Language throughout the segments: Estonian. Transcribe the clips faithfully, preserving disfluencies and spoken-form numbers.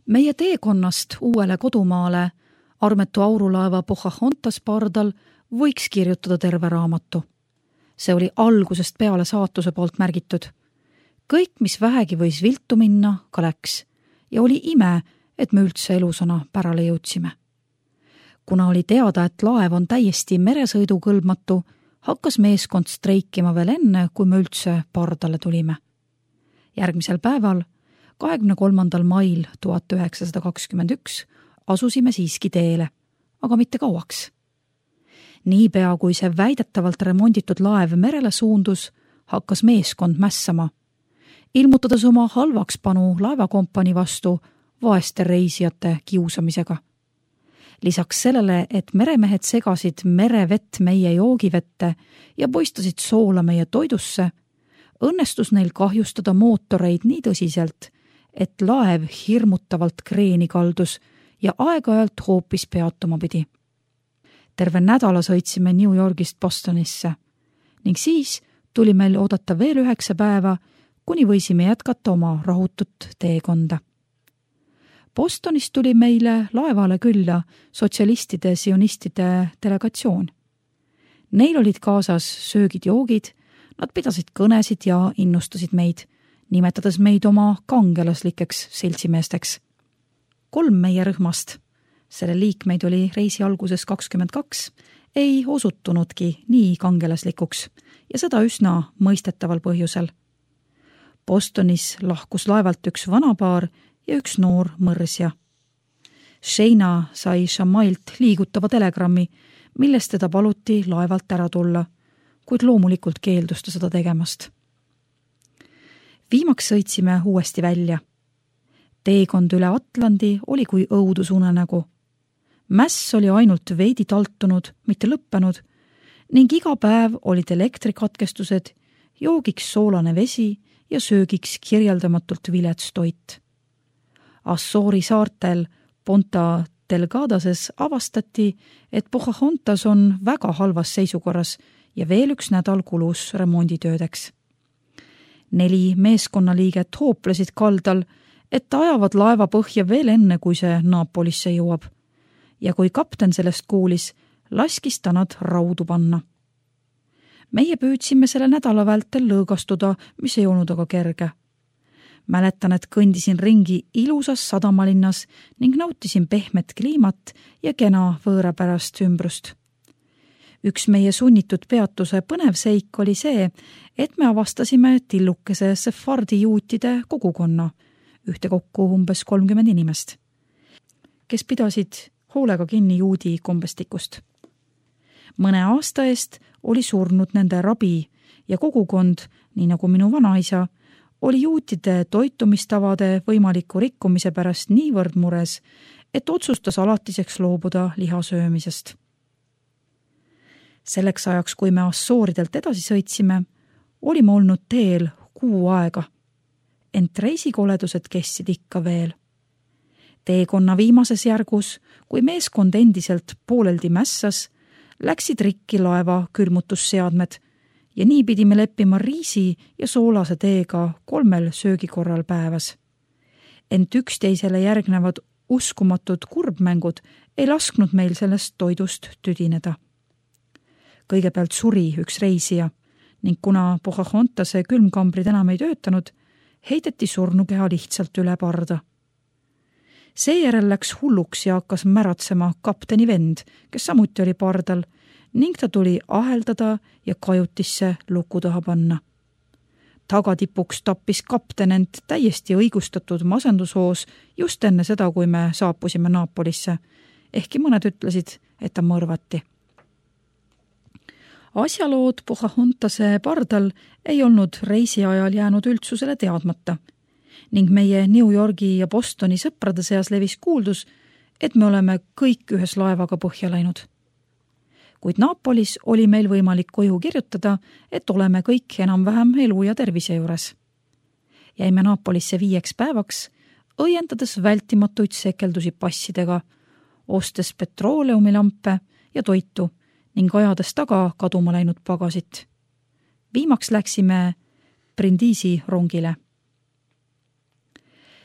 Meie teekonnast uuele kodumaale armetu aurulaeva Pocahontas pardal võiks kirjutada terve raamatu. See oli algusest peale saatuse poolt märgitud. Kõik, mis vähegi võis viltu minna, ka läks ja oli ime, et me üldse elusana pärale jõudsime. Kuna oli teada, et laev on täiesti meresõidukõlbmatu, hakkas meeskond streikima veel enne, kui me üldse pardale tulime. Järgmisel päeval, kahekümne kolmandal mail tuhat üheksasada kakskümmend üks, asusime siiski teele, aga mitte kauaks. Niipea, kui see väidetavalt remonditud laev merele suundus, hakkas meeskond mässama, ilmutades oma halvakspanu laevakompani vastu vaeste reisijate kiusamisega. Lisaks sellele, et meremehed segasid merevett meie joogivette ja poistasid soola meie toidusse, õnnestus neil kahjustada mootoreid nii tõsiselt, et laev hirmutavalt kreeni kaldus ja aeg-ajalt hoopis peatuma pidi. Terve nädala sõitsime New Yorgist Bostonisse ning siis tuli meil oodata veel üheksa päeva, kuni võisime jätkata oma rahutut teekonda. Bostonist tuli meile laevale külla sotsialistide sionistide delegatsioon. Neil olid kaasas söögid-joogid, nad pidasid kõnesid ja innustasid meid, nimetades meid oma kangelaslikeks seltsimeesteks. Kolm meie rühmast, selle liikmeid oli reisi alguses kakskümmend kaks, ei osutunudki nii kangelaslikuks ja seda üsna mõistetaval põhjusel. Bostonis lahkus laevalt üks vanapaar ja üks noor mõrsja. Shayna sai Shamailt liigutava telegrammi, millest teda paluti laevalt ära tulla, kuid loomulikult keeldus ta seda tegemast. Viimaks sõitsime uuesti välja. Teekond üle Atlandi oli kui õudusunenägu. Mäss oli ainult veidi taltunud, mitte lõppenud, ning iga päev olid elektrikatkestused, joogiks soolane vesi ja söögiks kirjeldamatult vilets toit. Assoori saartel Ponta Delgadases avastati, et Pocahontas on väga halvas seisukorras ja veel üks nädal kulus remonditöödeks. Neli meeskonnaliiget hooplesid kaldal, et ajavad laeva põhja veel enne, kui see Napolisse jõuab. Ja kui kapten sellest kuulis, laskis ta nad raudu panna. Meie püüdsime selle nädala vältel lõõgastuda, mis ei olnud aga kerge. Mäletan, et kõndisin ringi ilusas sadamalinnas ning nautisin pehmet kliimat ja kena võõrapärast ümbrust. Üks meie sunnitud peatuse põnev seik oli see, et me avastasime tillukese sefardi juutide kogukonna, ühtekokku umbes kolmkümmend inimest, kes pidasid hoolega kinni juudi kombestikust. Mõne aasta eest oli surnud nende rabi ja kogukond, nii nagu minu vanaisa, oli juutide toitumistavade võimaliku rikkumise pärast niivõrd mures, et otsustas alatiseks loobuda lihasöömisest. Selleks ajaks, kui me Assooridelt edasi sõitsime, olime olnud teel kuu aega, ent reisikoledused kestsid ikka veel. Teekonna viimases järgus, kui meeskond endiselt pooleldi mässas, läksid rikki laeva külmutusseadmed ja nii pidime leppima riisi ja soolase teega kolmel söögikorral päevas. Ent üksteisele järgnevad uskumatud kurbmängud ei lasknud meil sellest toidust tüdineda. Kõigepealt suri üks reisija ning kuna Pocahontase külmkambrid enam ei töötanud, heideti surnukeha lihtsalt üle parda. Seejärel läks hulluks ja hakkas märatsema kapteni vend, kes samuti oli pardal, ning ta tuli aheldada ja kajutisse luku taha panna. Tagatipuks tappis kapten end täiesti õigustatud masendushoos just enne seda, kui me saapusime Napolisse, ehkki mõned ütlesid, et ta mõrvati. Asjalood Pocahontase pardal ei olnud reisi ajal jäänud üldsusele teadmata ning meie New Yorgi ja Bostoni sõprade seas levis kuuldus, et me oleme kõik ühes laevaga põhja läinud. Kuid Napolis oli meil võimalik koju kirjutada, et oleme kõik enam-vähem elu ja tervise juures. Jäime Napolisse viieks päevaks, õiendades vältimatuid sekeldusi passidega, ostes petrooleumillampe ja toitu ning ajades taga kaduma läinud pagasit. Viimaks läksime Brindisi rongile.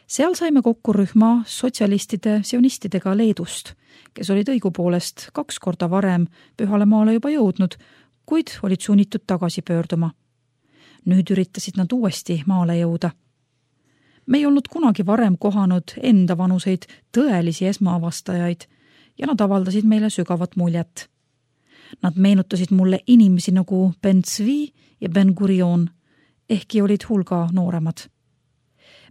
Seal saime kokku rühma sotsialistide sionistidega Leedust, kes olid õigupoolest kaks korda varem Pühale maale juba jõudnud, kuid olid sunnitud tagasi pöörduma. Nüüd üritasid nad uuesti maale jõuda. Me ei olnud kunagi varem kohanud enda vanuseid tõelisi esmaavastajaid ja nad avaldasid meile sügavat muljet. Nad meenutasid mulle inimesi nagu Ben Zvi ja Ben Gurion, ehkki olid hulga nooremad.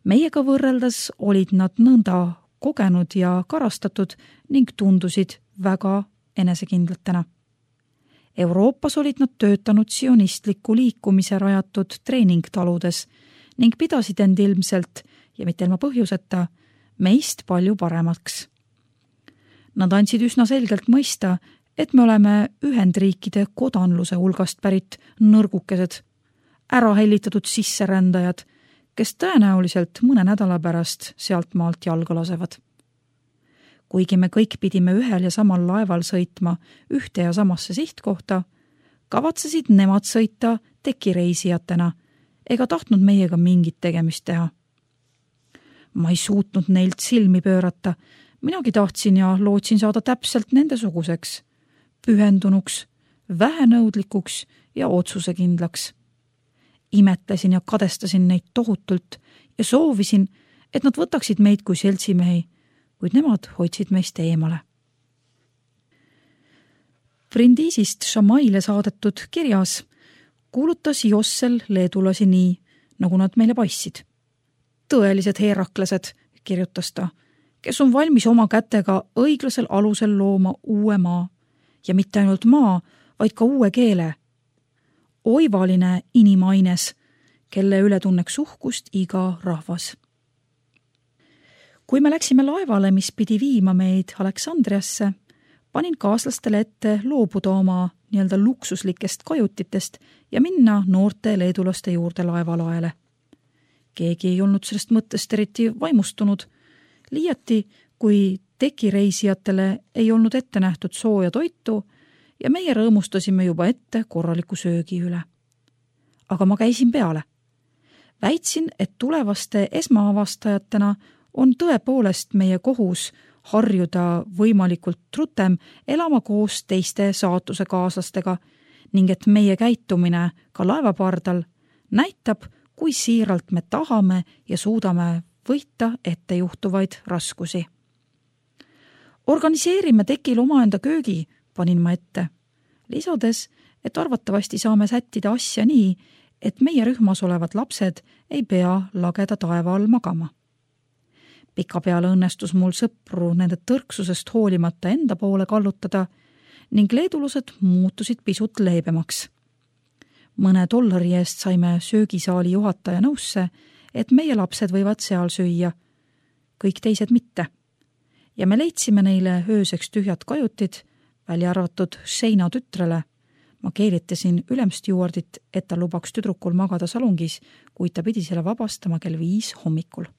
Meiega võrreldes olid nad nõnda kogenud ja karastatud ning tundusid väga enesekindlatena. Euroopas olid nad töötanud sionistliku liikumise rajatud treeningtaludes ning pidasid end ilmselt, ja mitte ilma põhjuseta, meist palju paremaks. Nad andsid üsna selgelt mõista, et me oleme Ühendriikide kodanluse hulgast pärit nõrgukesed, ära hellitatud sisserändajad, kes tõenäoliselt mõne nädala pärast sealt maalt jalga lasevad. Kuigi me kõik pidime ühel ja samal laeval sõitma ühte ja samasse sihtkohta, kavatsesid nemad sõita tekireisijatena ega tahtnud meiega mingit tegemist teha. Ma ei suutnud neilt silmi pöörata, minagi tahtsin ja lootsin saada täpselt nendesuguseks, pühendunuks, vähenõudlikuks ja otsusekindlaks. Imetlesin ja kadestasin neid tohutult ja soovisin, et nad võtaksid meid kui seltsimehi, kuid nemad hoidsid meist eemale. Brindisist Šamaile saadetud kirjas kuulutas Jossel leedulasi nii, nagu nad meile paissid. Tõelised heeraklesed, kirjutas ta, kes on valmis oma kätega õiglasel alusel looma uue maa ja mitte ainult maa, vaid ka uue keele. Oivaline inimaines, kelle üle tunneks uhkust iga rahvas. Kui me läksime laevale, mis pidi viima meid Aleksandriasse, panin kaaslastele ette loobuda oma nii-öelda luksuslikest kajutitest ja minna noorte leedulaste juurde laevalaele. Keegi ei olnud sellest mõttest eriti vaimustunud, liiati kui tekireisijatele ei olnud ette nähtud sooja toitu ja meie rõõmustasime juba ette korraliku söögi üle. Aga ma käisin peale. Väitsin, et tulevaste esmaavastajatena on tõepoolest meie kohus harjuda võimalikult rutem elama koos teiste saatuse kaaslastega ning et meie käitumine ka laevapardal näitab, kui siiralt me tahame ja suudame võita ette juhtuvaid raskusi. Organiseerime tekil omaenda köögi, panin ma ette, lisades, et arvatavasti saame sättida asja nii, et meie rühmas olevad lapsed ei pea lageda taeva all magama. Pikapeale õnnestus mul sõpru nende tõrksusest hoolimata enda poole kallutada ning leedulused muutusid pisut leebemaks. Mõne dollari eest saime söögisaali juhataja nõusse, et meie lapsed võivad seal süüa, kõik teised mitte. Ja me leidsime neile ööseks tühjad kajutid, välja arvatud Seina tütrele. Ma keelitasin ülemstjuardit, et ta lubaks tüdrukul magada salongis, kuid ta pidi selle vabastama kell viis hommikul.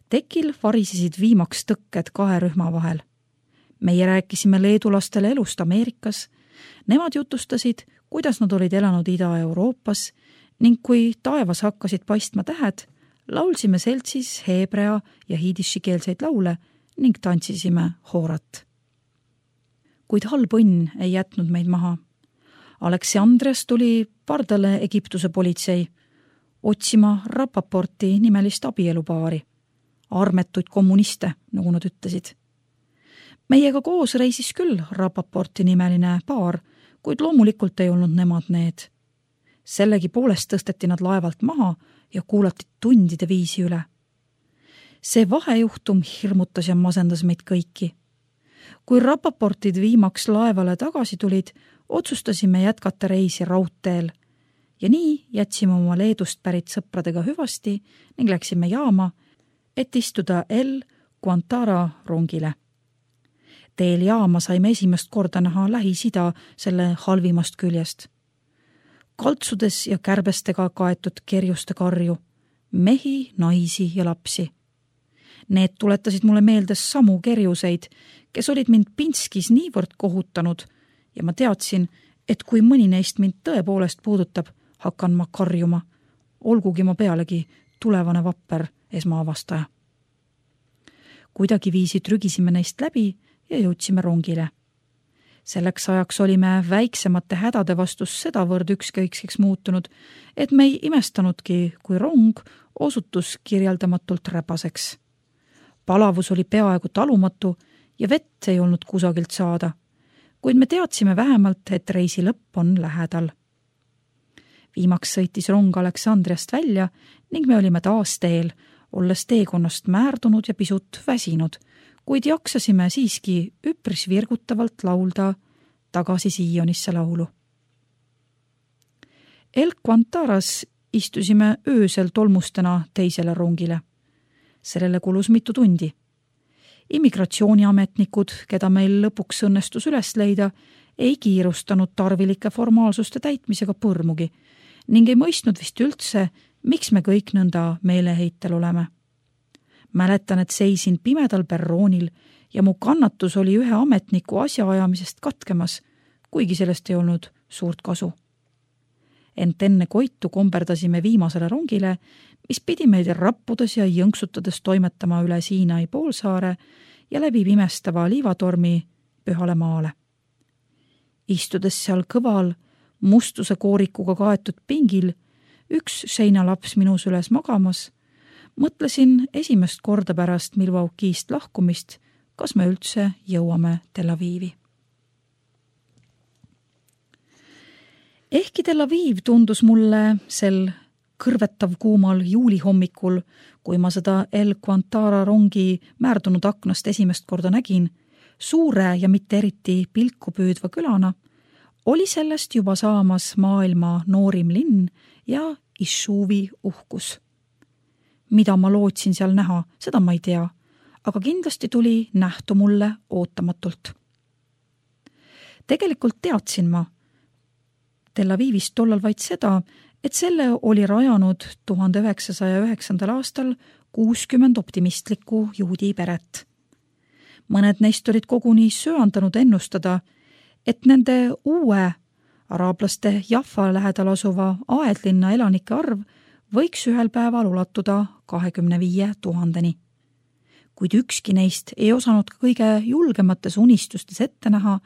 Tekil varisesid viimaks tõkked kahe rühma vahel. Meie rääkisime leedulastele elust Ameerikas, nemad jutustasid, kuidas nad olid elanud Ida-Euroopas ning kui taevas hakkasid paistma tähed, laulsime seltsis heebrea ja hiidishikeelseid laule ning tantsisime hoorat. Kuid halb õnn ei jätnud meid maha. Aleksandrias tuli pardale Egiptuse politsei otsima Rapaporti nimelist abielupaari. Armetuid kommuniste, nagu nad ütlesid. Meiega koos reisis küll Rapaporti nimeline paar, kuid loomulikult ei olnud nemad need. Sellegi poolest tõsteti nad laevalt maha ja kuulati tundide viisi üle. See vahejuhtum hirmutas ja masendas meid kõiki. Kui Rapaportid viimaks laevale tagasi tulid, otsustasime jätkata reisi raudteel ja nii jätsime oma Leedust pärit sõpradega hüvasti ning läksime jaama, et istuda El Guantara rongile. Teel jaama saime esimest korda näha Lähis-Ida selle halvimast küljest. Kaltsudes ja kärbestega kaetud kerjuste karju, mehi, naisi ja lapsi. Need tuletasid mulle meelde samu kerjuseid, kes olid mind Pinskis niivõrd kohutanud ja ma teadsin, et kui mõni neist mind tõepoolest puudutab, hakkan ma karjuma, olgugi ma pealegi tulevane vapper esmaavastaja. kuidagi viisi trügisime neist läbi ja jõudsime rongile. Selleks ajaks olime väiksemate hädade vastus sedavõrd ükskõikseks muutunud, et me ei imestanudki, kui rong osutus kirjeldamatult räpaseks. Palavus oli peaaegu talumatu ja vett ei olnud kusagilt saada, kuid me teadsime vähemalt, et reisi lõpp on lähedal. Viimaks sõitis rong Aleksandriast välja ning me olime taas teel, olles teekonnast määrdunud ja pisut väsinud, kuid jaksasime siiski üpris virgutavalt laulda tagasi Siionisse laulu. El Quantaras istusime öösel tolmustena teisele rongile. Sellele kulus mitu tundi. Immigratsiooniametnikud, keda meil lõpuks õnnestus üles leida, ei kiirustanud tarvilike formaalsuste täitmisega põrmugi ning ei mõistnud vist üldse, miks me kõik nõnda meeleheitel oleme. Mäletan, et seisin pimedal perroonil ja mu kannatus oli ühe ametniku asjaajamisest katkemas, kuigi sellest ei olnud suurt kasu. Ent enne koitu komberdasime viimasele rongile, mis pidi meid rappudes ja jõnksutades toimetama üle Siinai poolsaare ja läbi pimestava liivatormi Pühale maale. Istudes seal kõval, mustuse koorikuga kaetud pingil, üks seinalaps minus üles magamas, mõtlesin esimest korda pärast Milwaukee'st lahkumist, kas me üldse jõuame Tel Avivi. Ehkki Tel Aviv tundus mulle sel kõrvetav kuumal juulihommikul, kui ma seda El Quantara rongi määrdunud aknast esimest korda nägin, suure ja mitte eriti pilku püüdva külana, oli sellest juba saamas maailma noorim linn ja Ishuvi uhkus. Mida ma lootsin seal näha, seda ma ei tea, aga kindlasti tuli nähtu mulle ootamatult. Tegelikult teadsin ma Tel Avivist tollal vaid seda, et selle oli rajanud tuhande üheksasaja üheksandal aastal kuuskümmend optimistlikku juudi peret. Mõned neist olid koguni söandanud ennustada, et nende uue araablaste Jaffa lähedal asuva aedlinna elanike arv võiks ühel päeval ulatuda kahekümne viie tuhandeni. Kuid ükski neist ei osanud kõige julgemates unistustes ette näha,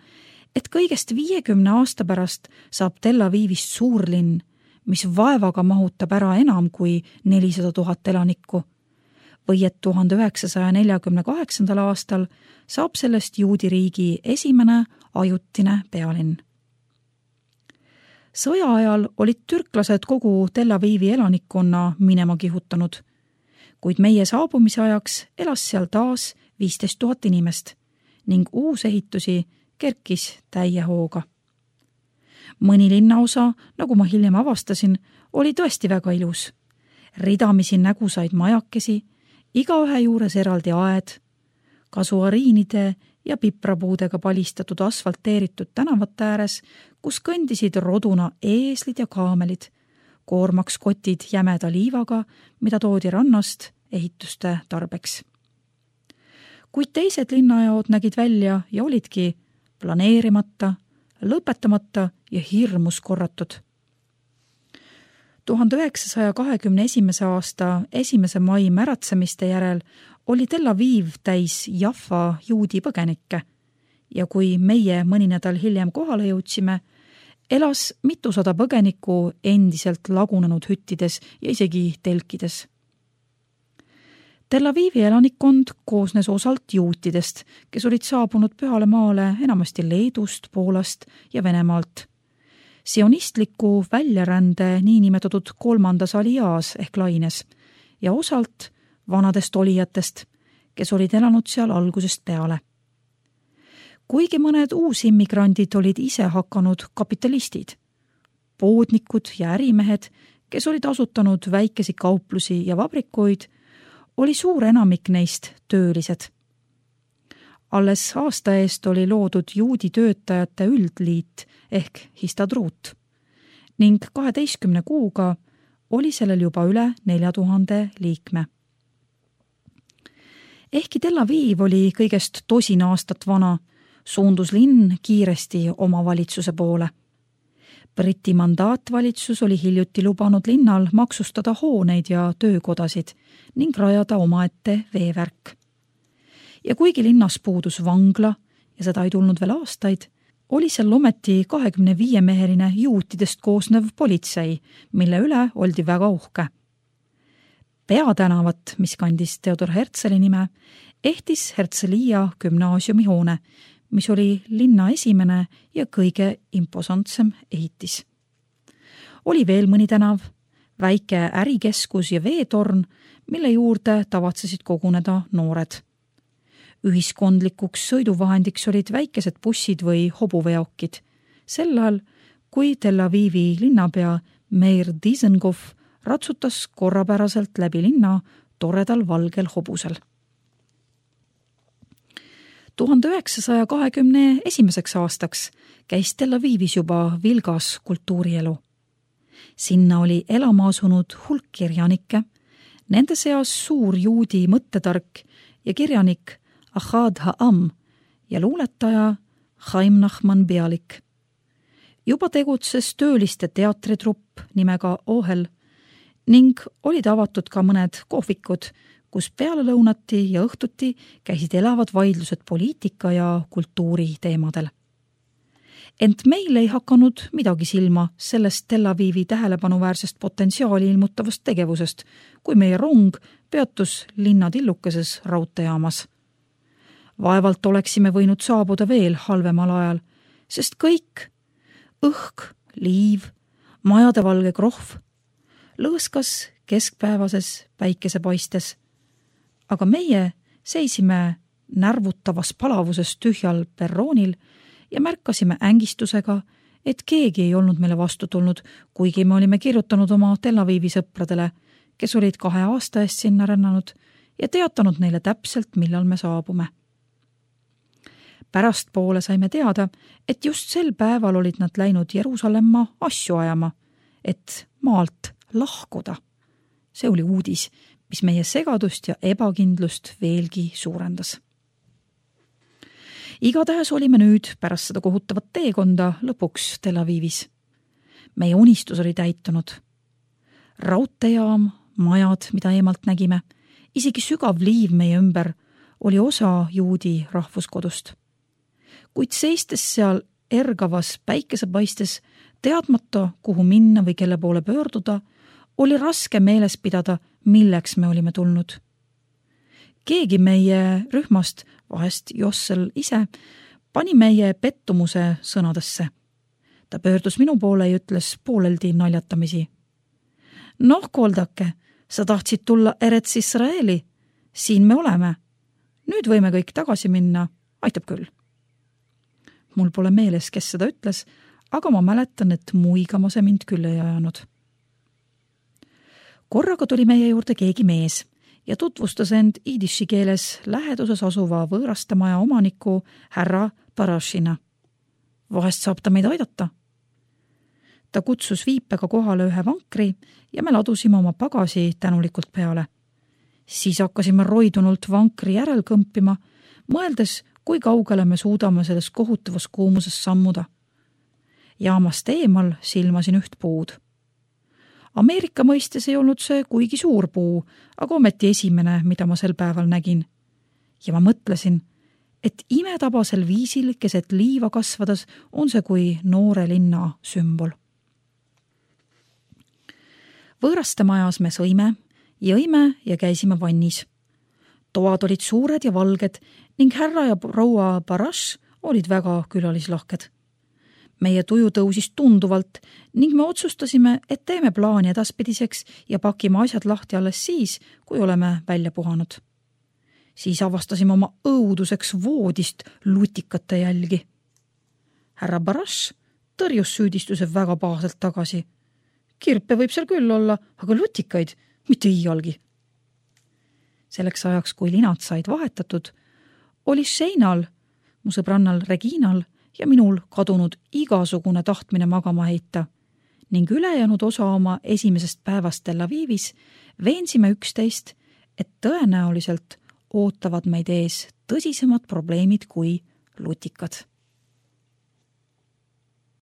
et kõigest viiekümne aasta pärast saab Tel Avivist suurlinn, mis vaevaga mahutab ära enam kui nelisada tuhat elanikku, või et tuhande üheksasaja neljakümne kaheksandal aastal saab sellest juudi riigi esimene ajutine pealinn. Sõja ajal olid türklased kogu Tel Avivi elanikkonna minema kihutanud, kuid meie saabumise ajaks elas seal taas viisteist tuhat inimest ning uusehitusi kerkis täie hooga. Mõni linnaosa, nagu ma hiljem avastasin, oli tõesti väga ilus. Ridamisi nägusaid majakesi, igaühe juures eraldi aed, kasuariinide ja piprapuudega palistatud asfalteeritud tänavate ääres, kus kõndisid roduna eeslid ja kaamelid, koormaks kotid jämeda liivaga, mida toodi rannast ehituste tarbeks. Kuid teised linnajaod nägid välja ja olidki planeerimata, lõpetamata ja hirmus korratud. tuhande üheksasaja kahekümne esimese aasta esimese mai märatsemiste järel oli Tel Aviv täis Jaffa juudi põgenikke ja kui meie mõni nädal hiljem kohale jõudsime, elas mitusada põgenikku endiselt lagunenud hüttides ja isegi telkides. Tel Avivi elanikkond koosnes osalt juutidest, kes olid saabunud Pühale maale enamasti Leedust, Poolast ja Venemaalt. Sionistliku väljarände niinimetatud kolmandas aliaas ehk laines ja osalt vanadest olijatest, kes olid elanud seal algusest peale. Kuigi mõned uusimmigrandid olid ise hakanud kapitalistid, poodnikud ja ärimehed, kes olid asutanud väikesi kauplusi ja vabrikuid, oli suur enamik neist töölised. Alles aasta eest oli loodud juudi töötajate üldliit ehk Histadrut ning kaheteistkümne kuuga oli sellel juba üle nelja tuhande liikme. Ehkki Tel Aviv oli kõigest tosin aastat vana, suundus linn kiiresti omavalitsuse poole. Briti mandaatvalitsus oli hiljuti lubanud linnal maksustada hooneid ja töökodasid ning rajada omaette veevärk. Ja kuigi linnas puudus vangla ja seda ei tulnud veel aastaid, oli seal ometi kahekümne viie meheline juutidest koosnev politsei, mille üle oldi väga uhke. Peatänavat, mis kandis Theodor Herzli nime, ehtis Herzliya gümnaasiumi hoone, mis oli linna esimene ja kõige imposantsem ehitis. Oli veel mõni tänav, väike ärikeskus ja veetorn, mille juurde tavatsesid koguneda noored. Ühiskondlikuks sõiduvahendiks olid väikesed bussid või hobuveokid, sel ajal, kui Tel Avivi linnapea Meir Dizengoff ratsutas korrapäraselt läbi linna toredal valgel hobusel. tuhande üheksasaja kahekümne esimeseks aastaks käis Tel Avivis juba vilgas kultuurielu. Sinna oli elama asunud hulk kirjanikke, nende seas suur juudi mõttetark ja kirjanik Ahad Ha'am ja luuletaja Chaim Nachman Bialik. Juba tegutses tööliste teatritrupp nimega Ohel ning olid avatud ka mõned kohvikud, kus peale lõunati ja õhtuti käisid elavad vaidlused poliitika ja kultuuri teemadel. Ent meil ei hakanud midagi silma sellest Tel Avivi tähelepanuväärsest potentsiaali ilmutavast tegevusest, kui meie rong peatus linna tillukeses raudteejaamas. Vaevalt oleksime võinud saabuda veel halvemal ajal, sest kõik, õhk, liiv, majade valge krohv, lõõskas keskpäevases päikesepaistes, aga meie seisime närvutavas palavuses tühjal perroonil ja märkasime ängistusega, et keegi ei olnud meile vastu tulnud, kuigi me olime kirjutanud oma Tel Avivi sõpradele, kes olid kahe aasta eest sinna rännanud ja teatanud neile täpselt, millal me saabume. Pärastpoole saime teada, et just sel päeval olid nad läinud Jeruusalemma asju ajama, et maalt lahkuda. See oli uudis, mis meie segadust ja ebakindlust veelgi suurendas. Igatahes olime nüüd pärast seda kohutavat teekonda lõpuks Tel Avivis. Meie unistus oli täitunud. Raudteejaam, majad, mida eemalt nägime, isegi sügav liiv meie ümber oli osa juudi rahvuskodust. Kuid seistes seal ergavas päikesepaistes, teadmata, kuhu minna või kelle poole pöörduda, oli raske meeles pidada, milleks me olime tulnud. Keegi meie rühmast, vahest Jossel ise, pani meie pettumuse sõnadesse. Ta pöördus minu poole ja ütles pooleldi naljatamisi. Noh, Koldake, sa tahtsid tulla Eretz Israeli. Siin me oleme. Nüüd võime kõik tagasi minna. Aitab küll. Mul pole meeles, kes seda ütles, aga ma mäletan, et muigama see mind küll ei ajanud. Korraga tuli meie juurde keegi mees ja tutvustas end iidiši keeles läheduses asuva võõrastemaja omaniku härra Barashina. Vahest saab ta meid aidata. Ta kutsus viipega kohale ühe vankri ja me ladusime oma pagasi tänulikult peale. Siis hakkasime roidunult vankri järel kõmpima, mõeldes, kui kaugele me suudame selles kohutavas kuumuses sammuda. Jaamast eemal silmasin üht puud. Ameerika mõistes ei olnud see kuigi suur puu, aga ometi esimene, mida ma sel päeval nägin. Ja ma mõtlesin, et imetabasel viisil keset liiva kasvades on see kui noore linna sümbol. Võõrastemajas me sõime, jõime ja käisime vannis. Toad olid suured ja valged ning härra ja proua Barash olid väga külalislahked. Meie tuju tõusis tunduvalt ning me otsustasime, et teeme plaani edaspidiseks ja pakime asjad lahti alles siis, kui oleme välja puhanud. Siis avastasime oma õuduseks voodist lutikate jälgi. Härra Barash tõrjus süüdistuse väga paaselt tagasi. Kirpe võib seal küll olla, aga lutikaid mitte iialgi. Selleks ajaks, kui linad said vahetatud, oli Sheinal, mu sõbrannal Reginal ja minul kadunud igasugune tahtmine magama heita ning ülejäänud osa oma esimesest päevast Tel Avivis veensime üksteist, et tõenäoliselt ootavad meid ees tõsisemad probleemid kui lutikad.